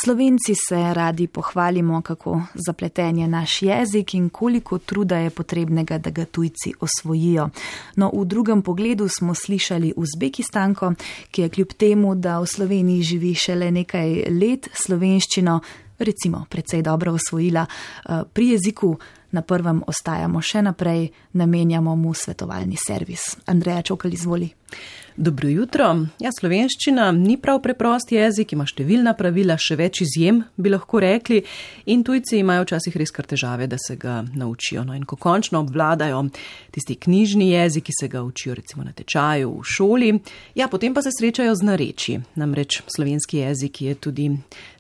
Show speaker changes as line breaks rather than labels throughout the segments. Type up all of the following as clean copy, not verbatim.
Slovenci se radi pohvalimo, kako zapleten je naš jezik in koliko truda je potrebnega, da ga tujci osvojijo. No, v drugem pogledu smo slišali Uzbekistanko, ki je kljub temu, da v Sloveniji živi šele nekaj let, slovenščino recimo precej dobro osvojila. Pri jeziku na prvem ostajamo še naprej, namenjamo mu svetovalni servis. Andreja Čokal, izvoli.
Dobro jutro. Ja, slovenščina ni prav preprost jezik, ima številna pravila, še več izjem, bi lahko rekli, in tujci imajo včasih res kar težave, da se ga naučijo. No, in ko končno obvladajo tisti knjižni jezik, ki se ga učijo recimo na tečaju v šoli, ja, potem pa se srečajo z narečji. Namreč slovenski jezik je tudi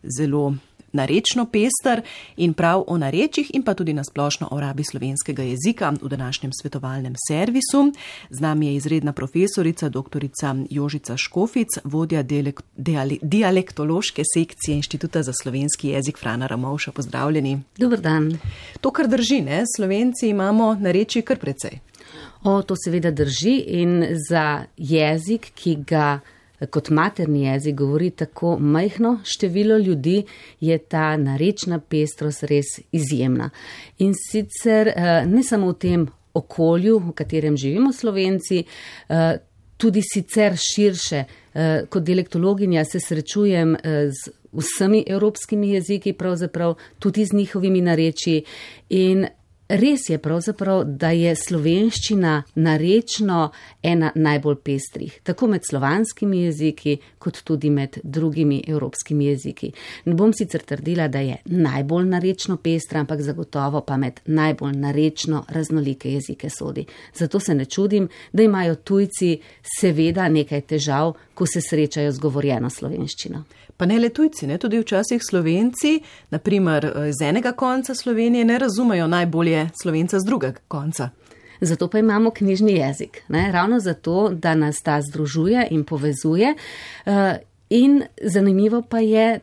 zelo narečno pester in prav o narečjih in pa tudi nasplošno o rabi slovenskega jezika v današnjem svetovalnem servisu. Z nami je izredna profesorica, doktorica Jožica Škofic, vodja dialektološke sekcije Inštituta za slovenski jezik Frana Ramovša. Pozdravljeni.
Dober dan.
To, kar drži, ne? Slovenci imamo narečij kar precej.
To seveda drži in za jezik, ki ga kot materni jezik govori tako majhno število ljudi, je ta narečna pestrost res izjemna. In sicer ne samo v tem okolju, v katerem živimo Slovenci, tudi sicer širše. Kot dialektologinja se srečujem z vsemi evropskimi jeziki, pravzaprav tudi z njihovimi narečji, in res je pravzaprav, da je slovenščina narečno ena najbolj pestrih, tako med slovanskimi jeziki, kot tudi med drugimi evropskimi jeziki. Ne bom sicer trdila, da je najbolj narečno pestra, ampak zagotovo pa med najbolj narečno raznolike jezike sodi. Zato se ne čudim, da imajo tujci seveda nekaj težav, ko se srečajo z govorjeno slovenščino.
Pa ne le tujci, ne, tudi včasih Slovenci, naprimer z enega konca Slovenije, ne razumejo najbolje Slovenca z drugega konca.
Zato pa imamo knjižni jezik, ne? Ravno zato, da nas ta združuje in povezuje. In zanimivo pa je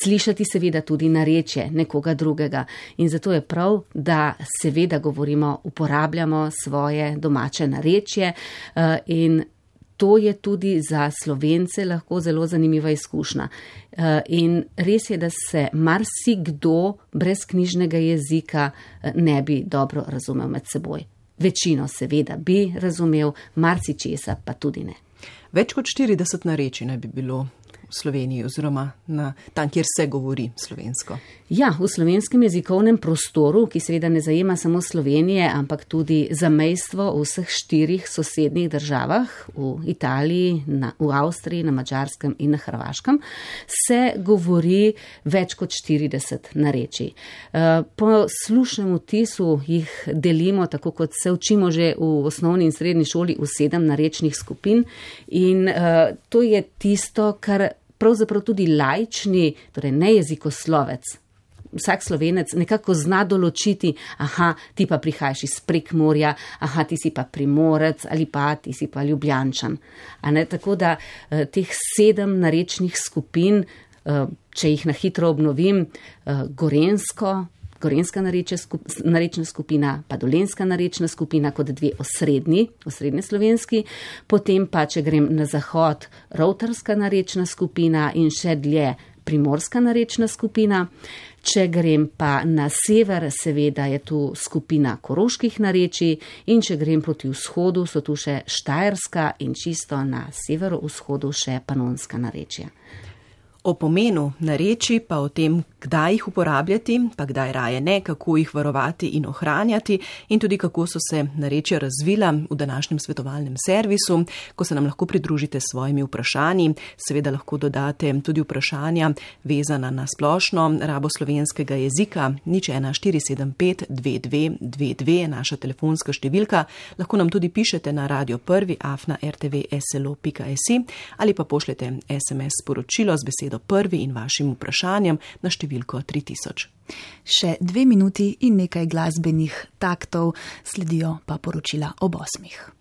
slišati seveda tudi narečje nekoga drugega. In zato je prav, da seveda govorimo, uporabljamo svoje domače narečje in to je tudi za Slovence lahko zelo zanimiva izkušnja. In res je, da se marsikdo brez knjižnega jezika ne bi dobro razumel med seboj. Večino seveda bi razumel, marsičesa pa tudi ne.
Več kot 40 narečij naj bi bilo v Sloveniji oziroma tam, kjer se govori slovensko.
Ja, v slovenskem jezikovnem prostoru, ki seveda ne zajema samo Slovenije, ampak tudi zamejstvo v vseh 4 sosednjih državah, v Italiji, v Avstriji, na Madžarskem in na Hrvaškem, se govori več kot 40 narečij. Po slušnem vtisu jih delimo, tako kot se učimo že v osnovni in srednji šoli, v 7 narečnih skupin in to je tisto, kar pravzaprav tudi laični, torej nejezikoslovec, vsak Slovenec nekako zna določiti, aha, ti pa prihajaš iz Prekmurja, aha, ti si pa Primorec ali pa ti si pa Ljubljančan. Tako da teh 7 narečnih skupin, če jih na hitro obnovim, gorenska narečna skupina, pa dolenjska narečna skupina kot 2 osrednje slovenski, potem pa, če grem na zahod, rovtarska narečna skupina in še dlje primorska narečna skupina. Če grem pa na sever, seveda je tu skupina koroških narečij in če grem proti vzhodu, so tu še štajerska in čisto na severovzhodu še panonska narečja.
O pomenu narečij, pa o tem, kdaj jih uporabljati, pa kdaj raje ne, kako jih varovati in ohranjati in tudi kako so se narečja razvila v današnjem svetovalnem servisu, ko se nam lahko pridružite s svojimi vprašanji. Seveda lahko dodate tudi vprašanja vezana na splošno rabo slovenskega jezika. 014752222 je naša telefonska številka. Lahko nam tudi pišete na radio1@rtvslo.si ali pa pošljete SMS sporočilo z besedo prvi in vašim vprašanjem na številko 3000.
Še 2 minuti in nekaj glasbenih taktov, sledijo pa poročila ob 8.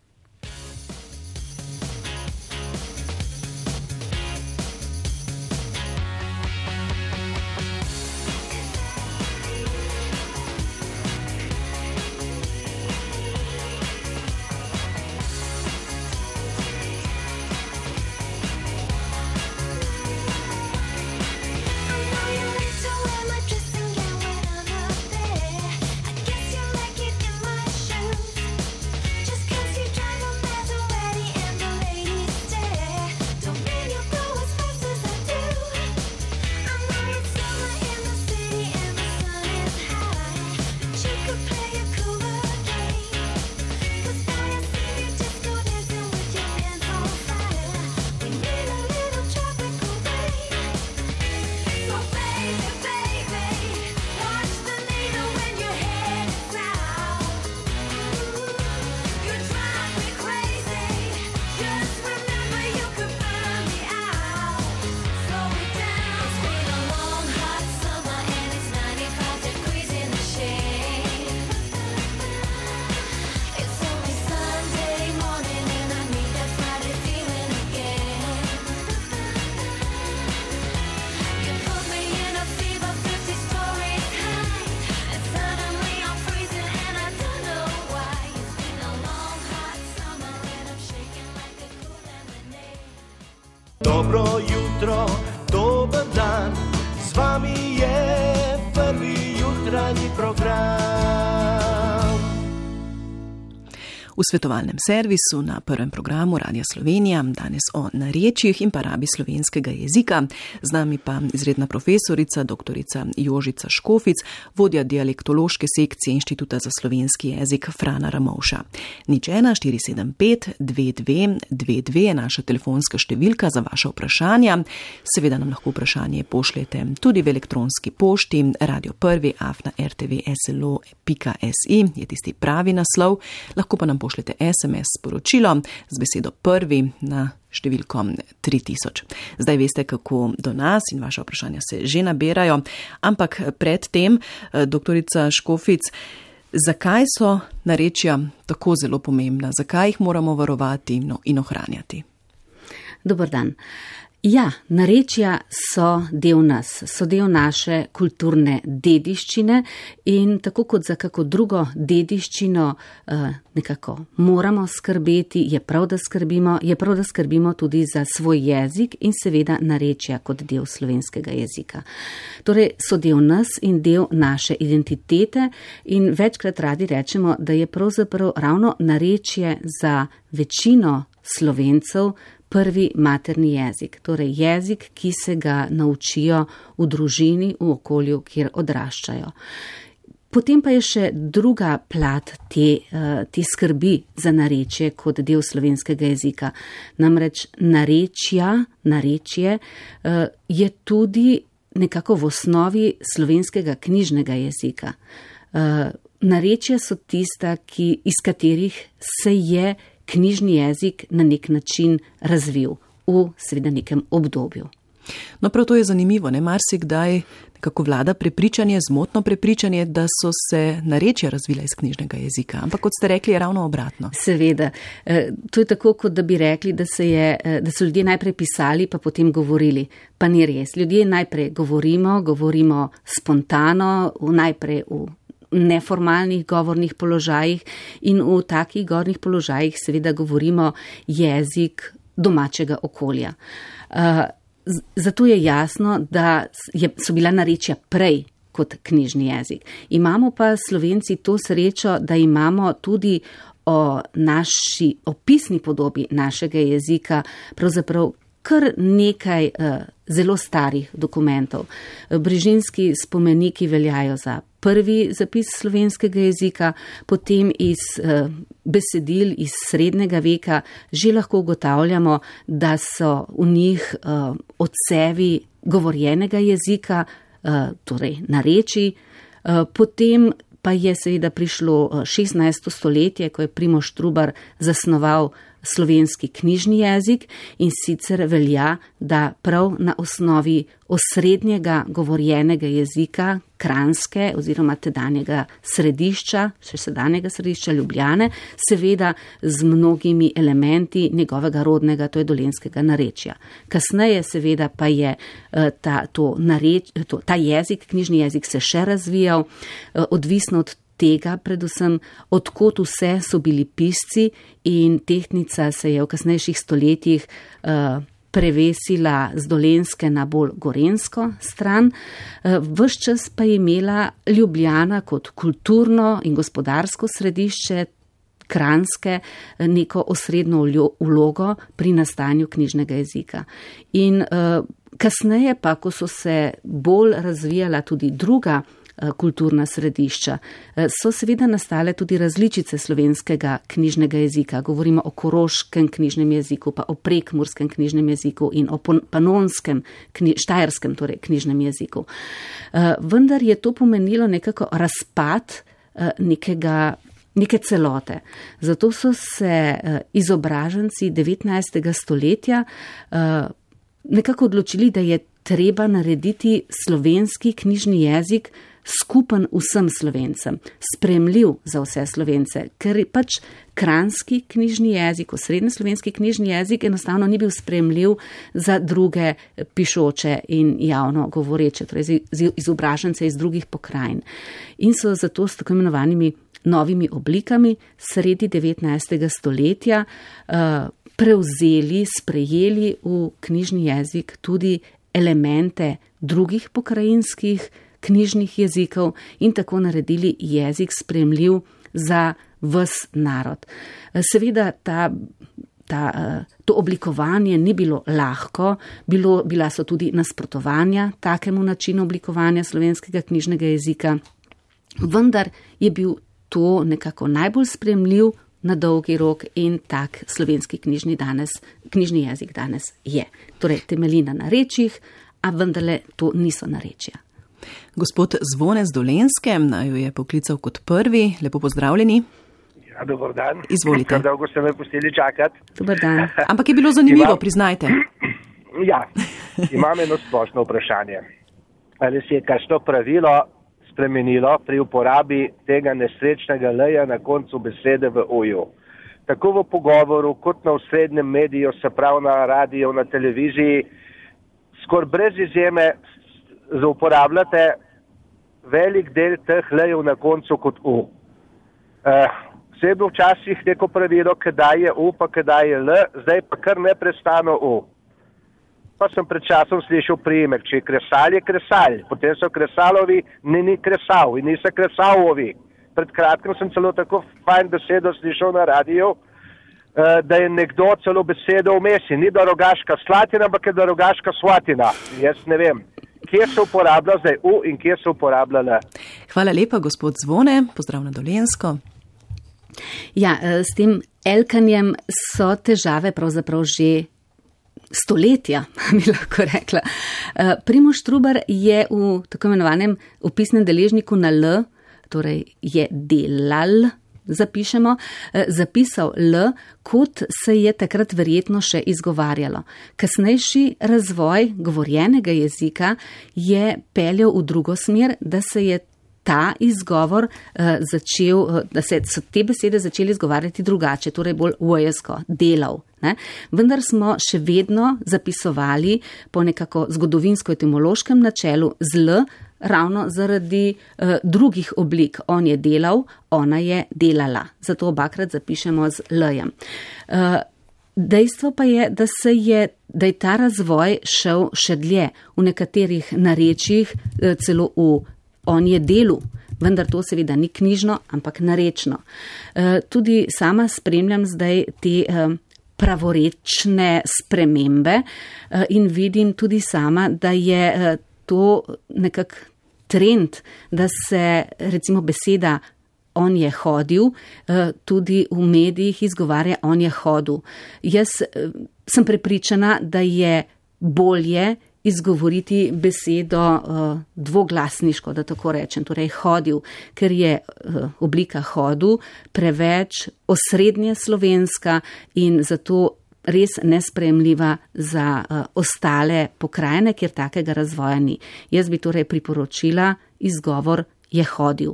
V svetovalnem servisu na prvem programu Radia Slovenija danes o narečjih in pa rabi slovenskega jezika. Z nami pa izredna profesorica, doktorica Jožica Škofic, vodja dialektološke sekcije Inštituta za slovenski jezik Frana Ramovša. 01475 2222 je naša telefonska številka za vaše vprašanja. Seveda nam lahko vprašanje pošljete tudi v elektronski pošti radio1@rtvslo.si je tisti pravi naslov. Lahko pa nam pošljete SMS sporočilo z besedo prvi na številko 3000. Zdaj veste, kako do nas in vaše vprašanja se že nabirajo, ampak predtem, doktorica Škofic, zakaj so narečja tako zelo pomembna? Zakaj jih moramo varovati in ohranjati?
Dober dan. Ja, narečja so del nas, so del naše kulturne dediščine in tako kot za kako drugo dediščino nekako moramo skrbeti, je prav, da skrbimo tudi za svoj jezik in seveda narečja kot del slovenskega jezika. Torej so del nas in del naše identitete in večkrat radi rečemo, da je pravzaprav ravno narečje za večino Slovencev prvi materni jezik, torej jezik, ki se ga naučijo v družini, v okolju, kjer odraščajo. Potem pa je še druga plat te skrbi za narečje kot del slovenskega jezika. Namreč narečje je tudi nekako v osnovi slovenskega knjižnega jezika. Narečja so tista, iz katerih se je knjižni jezik na nek način razvil v seveda nekem obdobju.
No, prav to je zanimivo, ne? Marsikdaj nekako vlada prepričanje, zmotno prepričanje, da so se narečja razvila iz knjižnega jezika, ampak kot ste rekli, je ravno obratno. Seveda,
to je tako, kot da bi rekli, da so ljudje najprej pisali, pa potem govorili. Pa ni res. Ljudje najprej govorimo spontano, najprej v neformalnih govornih položajih in v takih govornih položajih seveda govorimo jezik domačega okolja. Zato je jasno, da so bila narečja prej kot knjižni jezik. Imamo pa Slovenci to srečo, da imamo tudi o naši opisni podobi našega jezika pravzaprav kar nekaj zelo starih dokumentov. Brižinski spomeniki veljajo za prvi zapis slovenskega jezika, potem iz besedil iz srednjega veka že lahko ugotavljamo, da so v njih odsevi govorjenega jezika, torej narečij. Potem pa je seveda prišlo 16. stoletje, ko je Primož Trubar zasnoval slovenski knjižni jezik in sicer velja, da prav na osnovi osrednjega govorjenega jezika Kranjske oziroma tedanjega središča, še sedanjega središča Ljubljane, seveda z mnogimi elementi njegovega rodnega, to je dolenjskega narečja. Kasneje seveda pa je ta jezik, knjižni jezik se še razvijal, odvisno od tega predvsem, odkot vse so bili pisci in tehtnica se je v kasnejših stoletjih prevesila z dolenjske na bolj gorenjsko stran. Ves čas pa je imela Ljubljana kot kulturno in gospodarsko središče Kranjske neko osrednjo vlogo pri nastanju knjižnega jezika. In kasneje pa, ko so se bolj razvijala tudi druga kulturna središča, so seveda nastale tudi različice slovenskega knjižnega jezika. Govorimo o koroškem knjižnem jeziku, pa o prekmurskem knjižnem jeziku in o panonskem, štajerskem torej knjižnem jeziku. Vendar je to pomenilo nekako razpad neke celote. Zato so se izobraženci 19. stoletja nekako odločili, da je treba narediti slovenski knjižni jezik skupen vsem Slovencem, sprejemljiv za vse Slovence, ker pač kranjski knjižni jezik, osrednjeslovenski knjižni jezik enostavno ni bil sprejemljiv za druge pišoče in javno govoreče, torej izobražence iz drugih pokrajin. In so zato s tako imenovanimi novimi oblikami sredi 19. stoletja sprejeli v knjižni jezik tudi elemente drugih pokrajinskih knjižnih jezikov in tako naredili jezik sprejemljiv za ves narod. Seveda to oblikovanje ni bilo lahko, bila so tudi nasprotovanja takemu načinu oblikovanja slovenskega knjižnega jezika, vendar je bil to nekako najbolj sprejemljiv na dolgi rok in tak slovenski knjižni jezik danes je. Torej, temelji na narečjih, a vendarle to niso narečja.
Gospod Zvone z Dolenjske naju je poklical kot prvi. Lepo pozdravljeni.
Ja, dober dan.
Izvolite.
Kar dolgo ste me pustili čakati.
Dober dan.
Ampak je bilo zanimivo, priznajte.
Ja, imam eno splošno vprašanje. Ali se je kakšno pravilo spremenilo pri uporabi tega nesrečnega l-ja na koncu besede v o-ju? Tako v pogovoru, kot na osrednjem mediju, se pravi na radiju, na televiziji, skoraj brez izjeme uporabljate velik del teh l-jev na koncu kot u. Vse je bilo včasih neko pravilo, kdaj je u, pa kdaj je l, zdaj pa kar neprestano u. Pa sem pred časom slišal priimek, če je kresal, je kresal. Potem so kresalovi, ni kresal in niso kresalovi. Pred kratkim sem celo tako fajn besedo slišal na radiju, da je nekdo celo besedo vmesi. Ni da Rogaška Slatina, ampak je da Rogaška Svatina. Jaz ne vem, kje se uporablja zdaj u in kje se uporablja l.
Hvala lepa, gospod Zvone. Pozdrav na Dolenjsko.
Ja, s tem elkanjem so težave pravzaprav že stoletja, bi lahko rekla. Primož Trubar je v tako imenovanem opisnem deležniku na l, torej je delal, zapišemo, zapisal l, kot se je takrat verjetno še izgovarjalo. Kasnejši razvoj govorjenega jezika je peljal v drugo smer, da se je ta izgovor da so te besede začeli izgovarjati drugače, torej bolj vojesko, delal. Ne? Vendar smo še vedno zapisovali po nekako zgodovinsko-etimološkem načelu z l, ravno zaradi drugih oblik. On je delal, ona je delala. Zato obakrat zapišemo z l-jem. Dejstvo pa je, da je ta razvoj šel še dlje. V nekaterih narečjih celo on je delu, vendar to seveda ni knjižno, ampak narečno. Tudi sama spremljam zdaj te pravorečne spremembe in vidim tudi sama, da je to nekak trend, da se recimo beseda on je hodil, tudi v medijih izgovarja on je hodil. Jaz sem prepričana, da je bolje izgovoriti besedo dvoglasniško, da tako rečem, torej hodil, ker je oblika hodu preveč osrednje slovenska in zato res nesprejemljiva za ostale pokrajine, kjer takega razvoja ni. Jaz bi torej priporočila izgovor je hodil.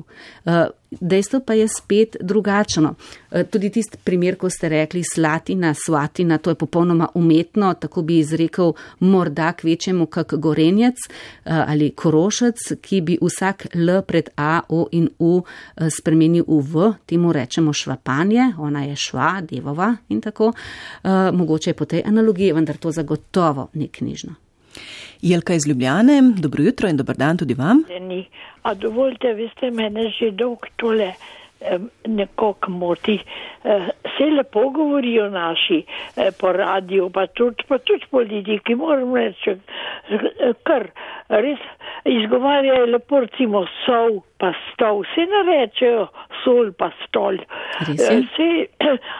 Dejstvo pa je spet drugačno. Tudi tisti primer, ko ste rekli Slatina, Svatina, to je popolnoma umetno, tako bi izrekel morda kvečemu kak Gorenjec ali Korošec, ki bi vsak L pred A, O in U spremenil v V, temu rečemo švapanje, ona je šva, devova in tako. Mogoče je po tej analogiji, vendar to zagotovo ni knjižno.
Jelka iz Ljubljane, dobro jutro in dober dan tudi vam.
A dovolite, vi ste mene že dolg tole nekako moti. Se lepo govorijo naši po radiju, pa tudi politiki, moram reči, kar res izgovarjajo lepo, recimo sol pa stol, se ne rečejo sol pa stol.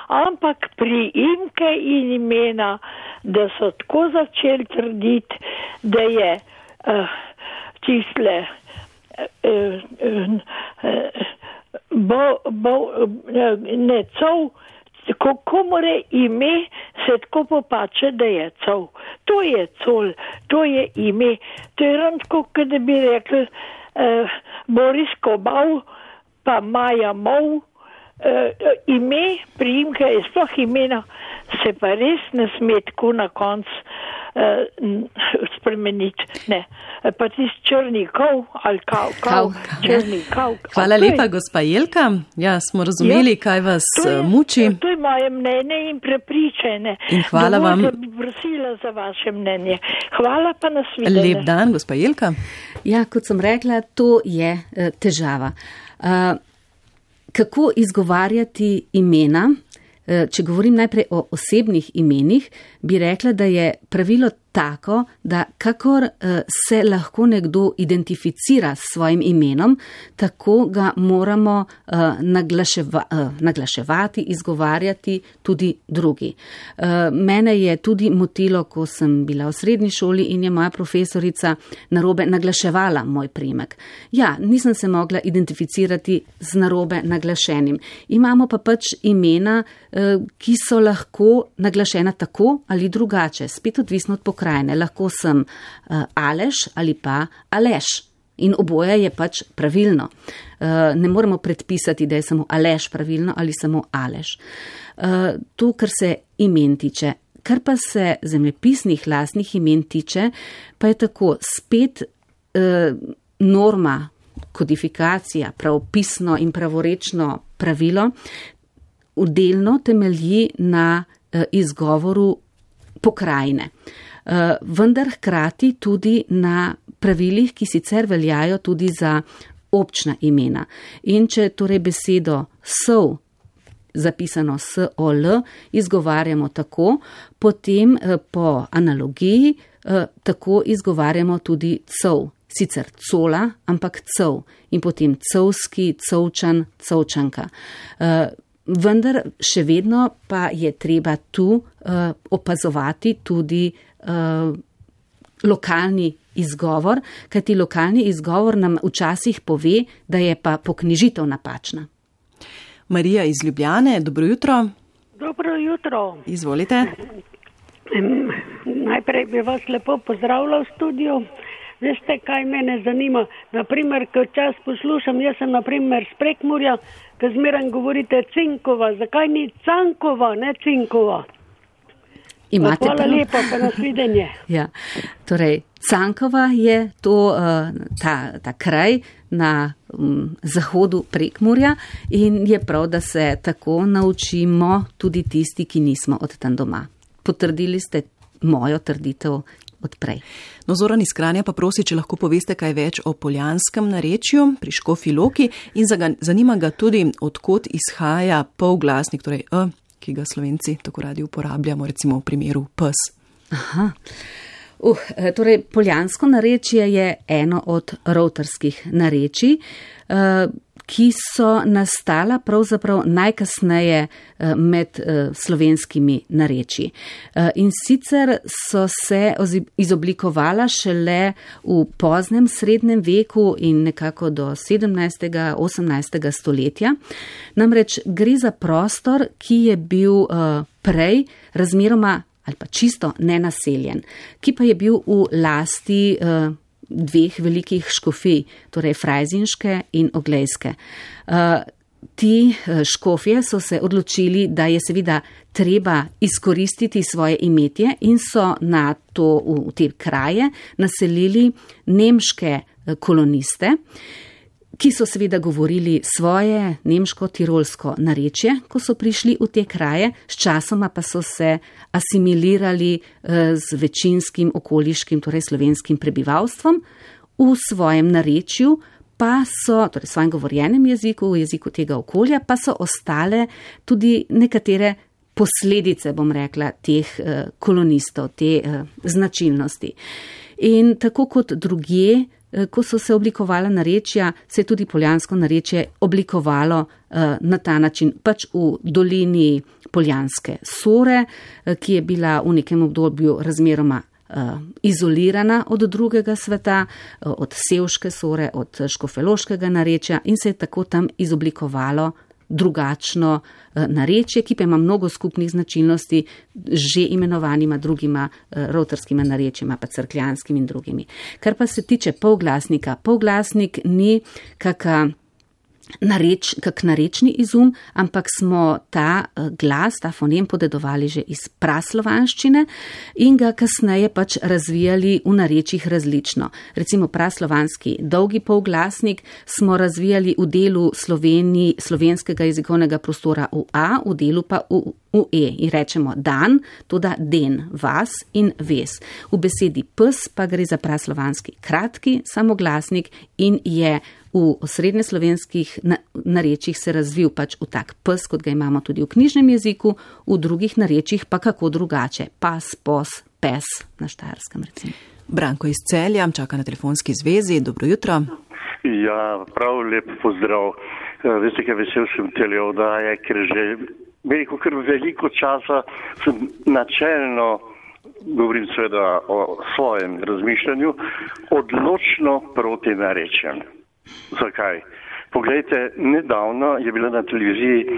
Ampak priimke in imena, da so tako začeli trditi, da je tisle kako more ime se tako popače, da je col. To je col, to je ime. To je ravno tako, da bi rekli Boris Kobal pa Maja Mov. Ime, priimka je sploh imena, se pa res ne sme tako na konc spremeniti. Ne. Pa tisti črni kov ali kav. Črni kav.
Hvala lepa, gospa Jelka. Ja, smo razumeli, kaj vas muči.
To je moje mnenje in prepričanje.
In hvala vam.
Da bi prosila za vaše mnenje. Hvala pa nasvidenje.
Lep dan, gospa Jelka.
Ja, kot sem rekla, to je težava. Kako izgovarjati imena? Če govorim najprej o osebnih imenih, bi rekla, da je pravilo tako, da kakor se lahko nekdo identificira s svojim imenom, tako ga moramo naglaševati, izgovarjati tudi drugi. Mene je tudi motilo, ko sem bila v srednji šoli in je moja profesorica narobe naglaševala moj priimek. Ja, nisem se mogla identificirati z narobe naglašenim. Imamo pa pač imena, ki so lahko naglašena tako ali drugače, spet odvisno od pokrajine. Lahko sem Aleš ali pa Aleš in oboje je pač pravilno. Ne moremo predpisati, da je samo Aleš pravilno ali samo Aleš. To, kar se imen tiče. Kar pa se zemljepisnih lastnih imen tiče, pa je tako spet norma, kodifikacija, pravopisno in pravorečno pravilo delno temelji na izgovoru pokrajine. Vendar hkrati tudi na pravilih, ki sicer veljajo tudi za občna imena. In če torej besedo sol, zapisano S-O-L, izgovarjamo tako, potem po analogiji tako izgovarjamo tudi cov. Sicer cola, ampak cov. In potem covski, covčan, covčanka. Vendar še vedno pa je treba tu opazovati tudi lokalni izgovor, kajti lokalni izgovor nam včasih pove, da je pa poknjižitev napačna.
Marija iz Ljubljane, dobro jutro.
Dobro jutro.
Izvolite.
Najprej bi vas lepo pozdravila v studiu. Veste, kaj mene zanima? Naprimer, ko čas poslušam, jaz sem naprimer z Prekmurja, ko zmeraj govorite Cinkova. Zakaj ni Cankova, ne Cinkova? Hvala lepa, pa nasvidenje.
Ja, torej, Cankova je to, ta kraj na zahodu Prekmurja in je prav, da se tako naučimo tudi tisti, ki nismo od tam doma. Potrdili ste mojo trditev odprej.
No, Zoran iz Kranja pa prosi, če lahko poveste kaj več o poljanskem narečju pri Škofji Loki in zanima ga tudi, odkot izhaja polglasnik, torej ki ga Slovenci tako radi uporabljamo, recimo v primeru pes.
Aha. Torej, poljansko narečje je eno od rovtarskih narečij, ki so nastala pravzaprav najkasneje med slovenskimi narečji. In sicer so se izoblikovala šele v poznem srednjem veku in nekako do 17. 18. stoletja. Namreč gre za prostor, ki je bil prej razmeroma ali pa čisto nenaseljen, ki pa je bil v lasti dveh velikih škofij, torej frajzinške in oglejske. Ti škofje so se odločili, da je seveda treba izkoristiti svoje imetje in so v te kraje naselili nemške koloniste, ki so seveda govorili svoje nemško-tirolsko narečje, ko so prišli v te kraje, sčasoma pa so se asimilirali z večinskim okoliškim, torej slovenskim prebivalstvom, v svojem narečju pa so, torej v svojem govorjenem jeziku, v jeziku tega okolja, pa so ostale tudi nekatere posledice, bom rekla, teh kolonistov, te značilnosti. In tako kot drugje, ko so se oblikovala narečja, se je tudi poljansko narečje oblikovalo na ta način, pač v dolini Poljanske Sore, ki je bila v nekem obdobju razmeroma izolirana od drugega sveta, od Sevške Sore, od škofeloškega narečja in se je tako tam izoblikovalo drugačno narečje, ki pa ima mnogo skupnih značilnosti že imenovanima drugima rovtarskima narečjima, pa crkljanskim in drugimi. Kar pa se tiče polglasnika, polglasnik ni kak narečni izum, ampak smo ta glas, ta fonem podedovali že iz praslovanščine in ga kasneje pač razvijali v narečjih različno. Recimo praslovanski dolgi polglasnik smo razvijali v delu slovenskega jezikovnega prostora v A, v delu pa v in rečemo dan, toda den, vas in ves. V besedi pes pa gre za praslovanski kratki samoglasnik in je v osrednjeslovenskih narečjih se razvil pač v tak pes, kot ga imamo tudi v knjižnem jeziku, v drugih narečjih pa kako drugače. Pas, pos, pes na Štajerskem recimo.
Branko iz Celja čaka na telefonski zvezi. Dobro jutro.
Ja, prav lep pozdrav. Veste, kaj vesel sem tele oddaje, ker že veliko časa sem načelno, govorim seveda o svojem razmišljanju, odločno proti narečjem. Zakaj? Poglejte, nedavno je bila na televiziji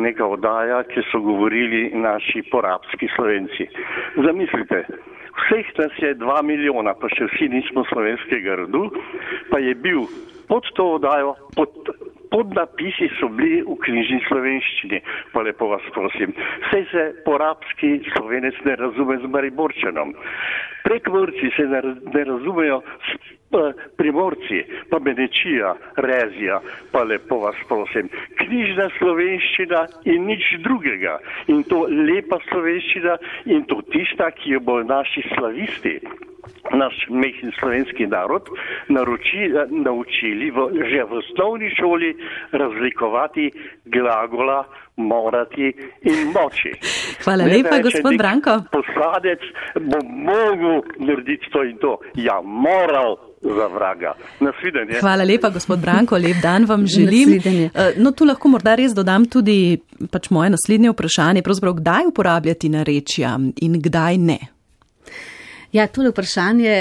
neka oddaja, ki so govorili naši porabski Slovenci. Zamislite, vseh nas je 2 milijona, pa še vsi nismo slovenskega rodu, pa je bil pod to oddajo, podnapisi so bili v knjižni slovenščini, pa lepo vas prosim. Saj se porabski Slovenec ne razume z Mariborčanom. Prekmurci se ne razumejo s Primorci, pa Benečija, Rezija, pa lepo vas prosim. Knjižna slovenščina in nič drugega. In to lepa slovenščina in to tista, ki jo bo naši slavisti, naš mehni slovenski narod, naučili že v osnovni šoli razlikovati glagola morati in moči.
Hvala lepa, gospod Branko.
Poslanec bo mogel narediti to in to. Ja, moral za vraga. Nasvidenje.
Hvala lepa, gospod Branko, lep dan vam želim. No, tu lahko morda res dodam tudi pač moje naslednje vprašanje, pravzaprav kdaj uporabljati narečja in kdaj ne?
Ja, tole vprašanje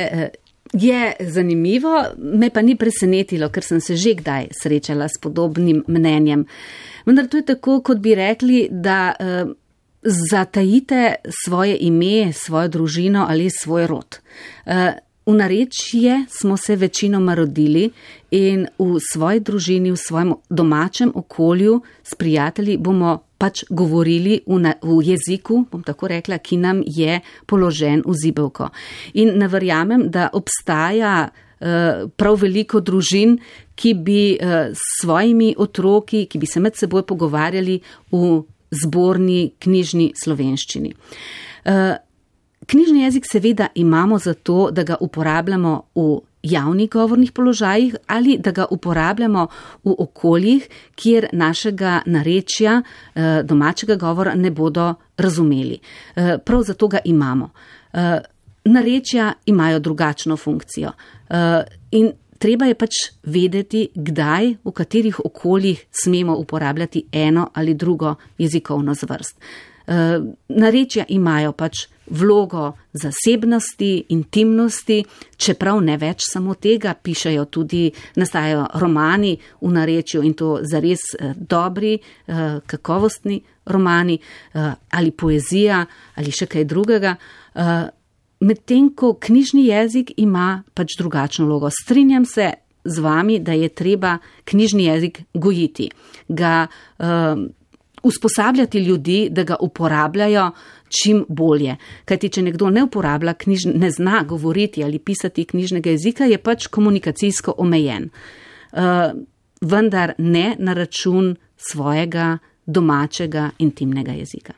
je zanimivo, me pa ni presenetilo, ker sem se že kdaj srečala s podobnim mnenjem. Vendar to je tako, kot bi rekli, da zatajite svoje ime, svojo družino ali svoj rod. V narečje smo se večinoma rodili in v svoji družini, v svojem domačem okolju s prijatelji bomo pač govorili v jeziku, bom tako rekla, ki nam je položen v zibelko. In ne verjamem, da obstaja prav veliko družin, ki bi s svojimi otroki, ki bi se med seboj pogovarjali v zborni knjižni slovenščini. Knjižni jezik seveda imamo zato, da ga uporabljamo v javnih govornih položajih ali da ga uporabljamo v okoljih, kjer našega narečja, domačega govora ne bodo razumeli. Prav zato ga imamo. Narečja imajo drugačno funkcijo in treba je pač vedeti, kdaj, v katerih okoljih smemo uporabljati eno ali drugo jezikovno zvrst. Narečja imajo pač vlogo zasebnosti, intimnosti, čeprav ne več samo tega, pišejo tudi, nastajajo romani v narečju in to zares dobri, kakovostni romani ali poezija ali še kaj drugega. Medtem ko knjižni jezik ima pač drugačno vlogo. Strinjam se z vami, da je treba knjižni jezik gojiti, ga usposabljati ljudi, da ga uporabljajo čim bolje. Kajti, če nekdo ne uporablja, ne zna govoriti ali pisati knjižnega jezika, je pač komunikacijsko omejen. Vendar ne na račun svojega domačega intimnega jezika.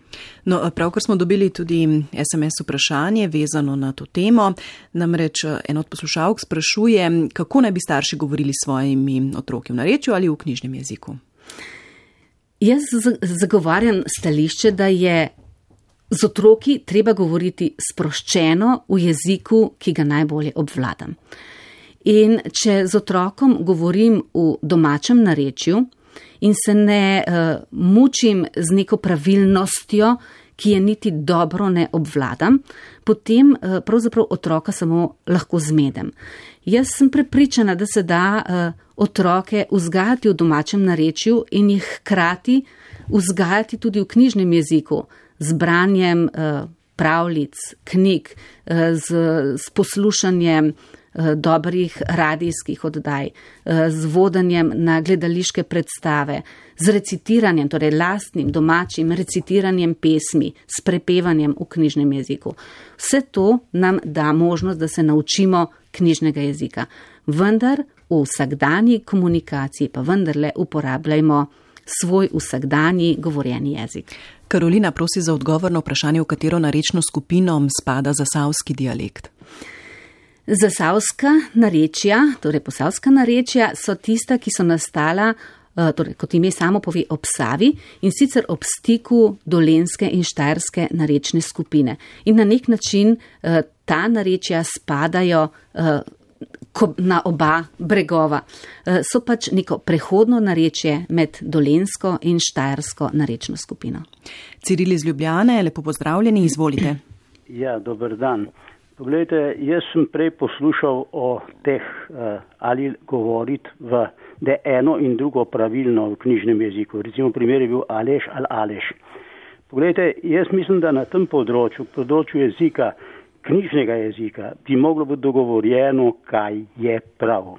No, pravkar smo dobili tudi SMS vprašanje vezano na to temo. Namreč en od poslušalk sprašuje, kako naj bi starši govorili s svojimi otroki v narečju ali v knjižnem jeziku?
Jaz zagovarjam stališče, da je z otroki treba govoriti sproščeno v jeziku, ki ga najbolje obvladam. In če z otrokom govorim v domačem narečju in se ne mučim z neko pravilnostjo, ki je niti dobro ne obvladam, potem pravzaprav otroka samo lahko zmedem. Jaz sem prepričana, da se da otroke vzgajati v domačem narečju in jih hkrati vzgajati tudi v knjižnem jeziku, z branjem pravljic, knjig, z poslušanjem dobrih radijskih oddaj, z vodenjem na gledališke predstave, z recitiranjem, torej lastnim domačim recitiranjem pesmi, s prepevanjem v knjižnem jeziku. Vse to nam da možnost, da se naučimo knjižnega jezika. Vendar v vsakdanji komunikaciji pa vendarle uporabljajmo svoj vsakdanji govorjeni jezik.
Karolina prosi za odgovor na vprašanje, v katero narečno skupino spada zasavski dialekt.
Zasavska narečja, torej posavska narečja, so tista, ki so nastala, torej, kot ime samo pove, ob Savi in sicer ob stiku dolenjske in štajerske narečne skupine. In na nek način ta narečja spadajo na oba bregova. So pač neko prehodno narečje med dolenjsko in štajersko narečno skupino.
Ciril iz Ljubljane, lepo pozdravljeni, izvolite.
Ja, dober dan. Poglejte, jaz sem prej poslušal o teh, ali govoriti da je eno in drugo pravilno v knjižnem jeziku. Recimo primer je bil Aleš ali Aleš. Poglejte, jaz mislim, da na tem področju jezika, knjižnega jezika, bi moglo biti dogovorjeno, kaj je prav.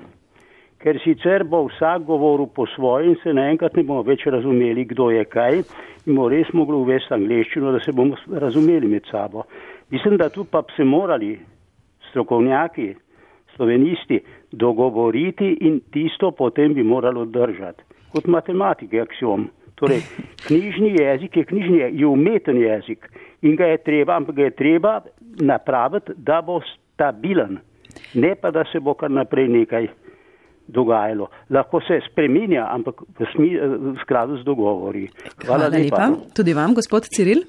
Ker sicer bo vsak govoril po svoje in se naenkrat ne bomo več razumeli, kdo je kaj, in bomo res mogli uvesti angleščino, da se bomo razumeli med sabo. Mislim, da tu pa bi se morali strokovnjaki, slovenisti, dogovoriti in tisto potem bi moralo držati. Kot matematike aksiom. Torej, knjižni jezik je umeten jezik in ga je treba napraviti, da bo stabilen. Ne pa, da se bo kar naprej nekaj dogajalo. Lahko se spreminja, ampak v skladu z dogovori. Hvala lepa.
Tudi vam, gospod Ciril.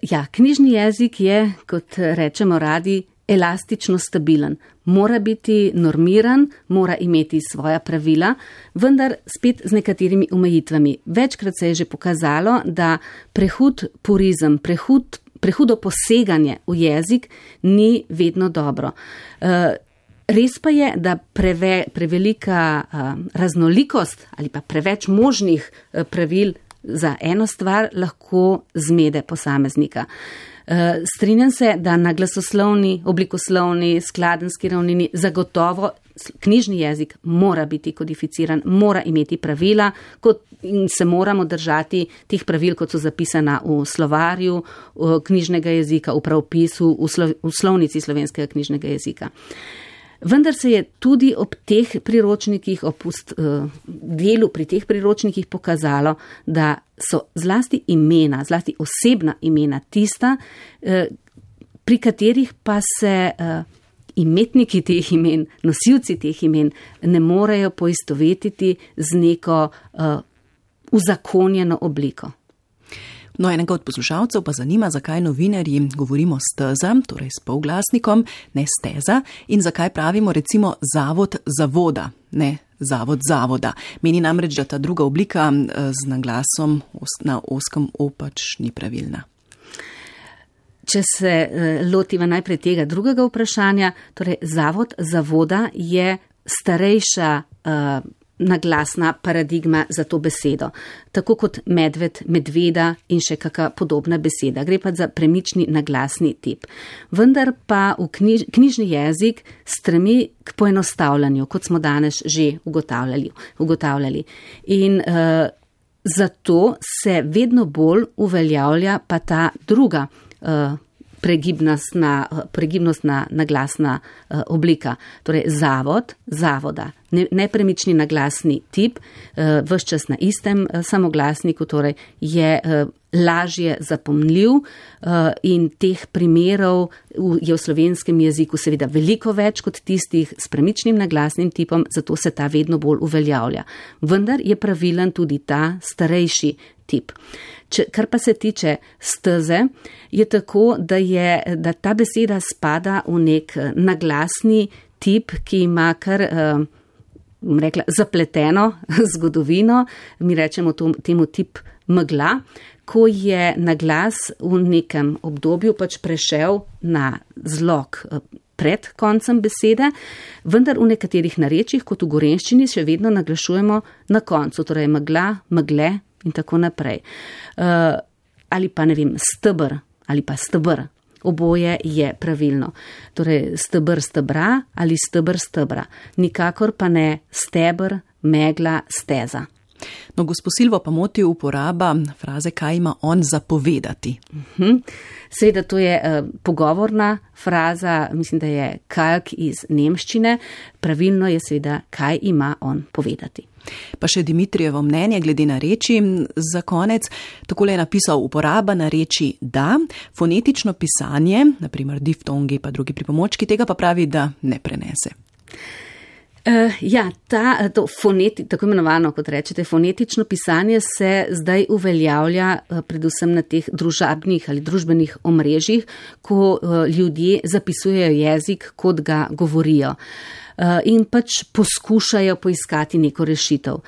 Ja, knjižni jezik je, kot rečemo radi, elastično stabilen. Mora biti normiran, mora imeti svoja pravila, vendar spet z nekaterimi omejitvami. Večkrat se je že pokazalo, da prehud purizem, prehudo poseganje v jezik ni vedno dobro. Res pa je, da prevelika raznolikost ali pa preveč možnih pravil za eno stvar lahko zmede posameznika. Strinjam se, da na glasoslovni, oblikoslovni, skladenski ravnini zagotovo knjižni jezik mora biti kodificiran, mora imeti pravila in se moramo držati teh pravil, kot so zapisana v slovarju knjižnega jezika, v pravopisu, v slovnici slovenskega knjižnega jezika. Vendar se je tudi ob teh priročnikih, ob delu pri teh priročnikih pokazalo, da so zlasti imena, zlasti osebna imena tista, pri katerih pa se imetniki teh imen, nosilci teh imen ne morejo poistovetiti z neko uzakonjeno obliko.
No, enega od poslušalcev pa zanima, zakaj novinarji govorimo steza, torej s polglasnikom, ne steza, in zakaj pravimo recimo zavod zavoda, ne zavod zavoda. Meni namreč, da ta druga oblika z naglasom na oskem o pač ni pravilna.
Če se lotiva najprej tega drugega vprašanja, torej zavod zavoda je starejša naglasna paradigma za to besedo. Tako kot medved, medveda in še kakšna podobna beseda. Gre pa za premični naglasni tip. Vendar pa v knjižni jezik stremi k poenostavljanju, kot smo danes že ugotavljali. In zato se vedno bolj uveljavlja pa ta druga pregibnostna naglasna oblika. Torej zavod, zavoda, nepremični naglasni tip, ves čas na istem samoglasniku, torej je lažje zapomnljiv in teh primerov je v slovenskem jeziku seveda veliko več kot tistih s premičnim naglasnim tipom, zato se ta vedno bolj uveljavlja. Vendar je pravilen tudi ta starejši tip. Kar pa se tiče steze, je tako, da ta beseda spada v nek naglasni tip, ki ima kar zapleteno zgodovino, mi rečemo temu tip megla, ko je naglas v nekem obdobju pač prešel na zlog pred koncem besede, vendar v nekaterih narečjih, kot v gorenjščini, še vedno naglašujemo na koncu, torej megla, megle in tako naprej. Ali pa, ne vem, stebr ali pa stebr. Oboje je pravilno. Torej, stebr stebra ali stebr stebra. Nikakor pa ne stebr, megla, steza.
No, gospo Silvo pa moti uporaba fraze, kaj ima on za povedati.
Seveda to je pogovorna fraza, mislim, da je kalk iz nemščine. Pravilno je seveda, kaj ima on povedati.
Pa še Dimitrijevo mnenje glede nareči za konec. Takole je napisal: uporaba nareči da, fonetično pisanje, naprimer diftongi pa drugi pripomočki, tega pa pravi, da ne prenese.
Tako imenovano, kot rečete, fonetično pisanje se zdaj uveljavlja predvsem na teh družabnih ali družbenih omrežjih, ko ljudje zapisujejo jezik, kot ga govorijo. In pač poskušajo poiskati neko rešitev.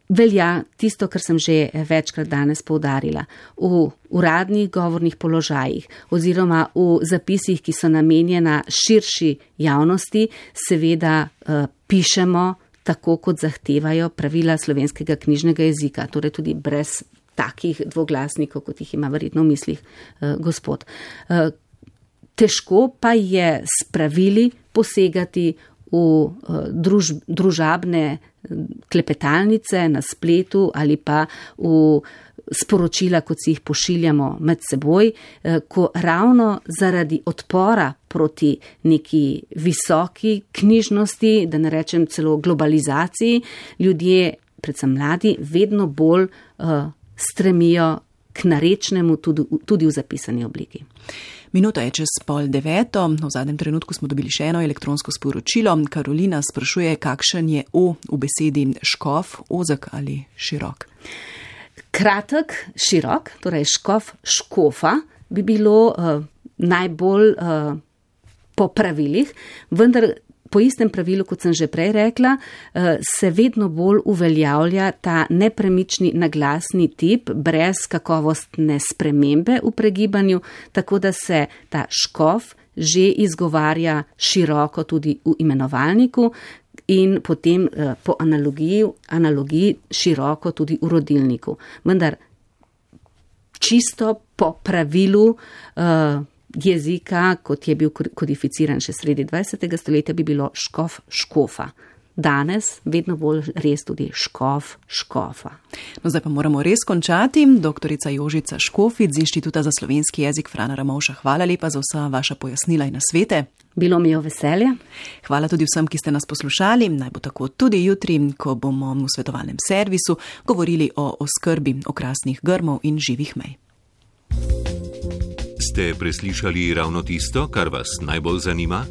Velja tisto, kar sem že večkrat danes poudarila. V uradnih govornih položajih oziroma v zapisih, ki so namenjena širši javnosti, seveda pišemo tako, kot zahtevajo pravila slovenskega knjižnega jezika, torej tudi brez takih dvoglasnikov, kot jih ima verjetno v mislih gospod. Težko pa je s pravili posegati v družabne klepetalnice na spletu ali pa v sporočila, kot si jih pošiljamo med seboj, ko ravno zaradi odpora proti neki visoki knjižnosti, da ne rečem celo globalizaciji, ljudje, predvsem mladi, vedno bolj stremijo k narečnemu tudi v zapisani obliki.
Minuta je čez 8:30, v zadnjem trenutku smo dobili še eno elektronsko sporočilo. Karolina sprašuje, kakšen je o v besedi škof, ozek ali širok?
Kratek, širok, torej škof, škofa bi bilo najbolj po pravilih, vendar po istem pravilu, kot sem že prej rekla, se vedno bolj uveljavlja ta nepremični naglasni tip brez kakovostne spremembe v pregibanju, tako da se ta škof že izgovarja široko tudi v imenovalniku in potem po analogiji široko tudi v rodilniku. Vendar čisto po pravilu jezika, kot je bil kodificiran še sredi 20. stoletja, bi bilo škof, škofa. Danes vedno bolj res tudi škof, škofa.
No, zdaj pa moramo res končati. Doktorica Jožica Škofic z Inštituta za slovenski jezik Frana Ramovša, hvala lepa za vsa vaša pojasnila in nasvete.
Bilo mi je veselje.
Hvala tudi vsem, ki ste nas poslušali. Naj bo tako tudi jutri, ko bomo v svetovalnem servisu govorili o oskrbi okrasnih grmov in živih mej.
Ste preslišali ravno tisto, kar vas najbolj zanima?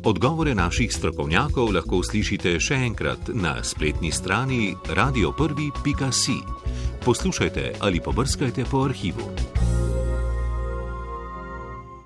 Odgovore naših strokovnjakov lahko slišite še enkrat na spletni strani radio1.si. Poslušajte ali pobrskajte po arhivu.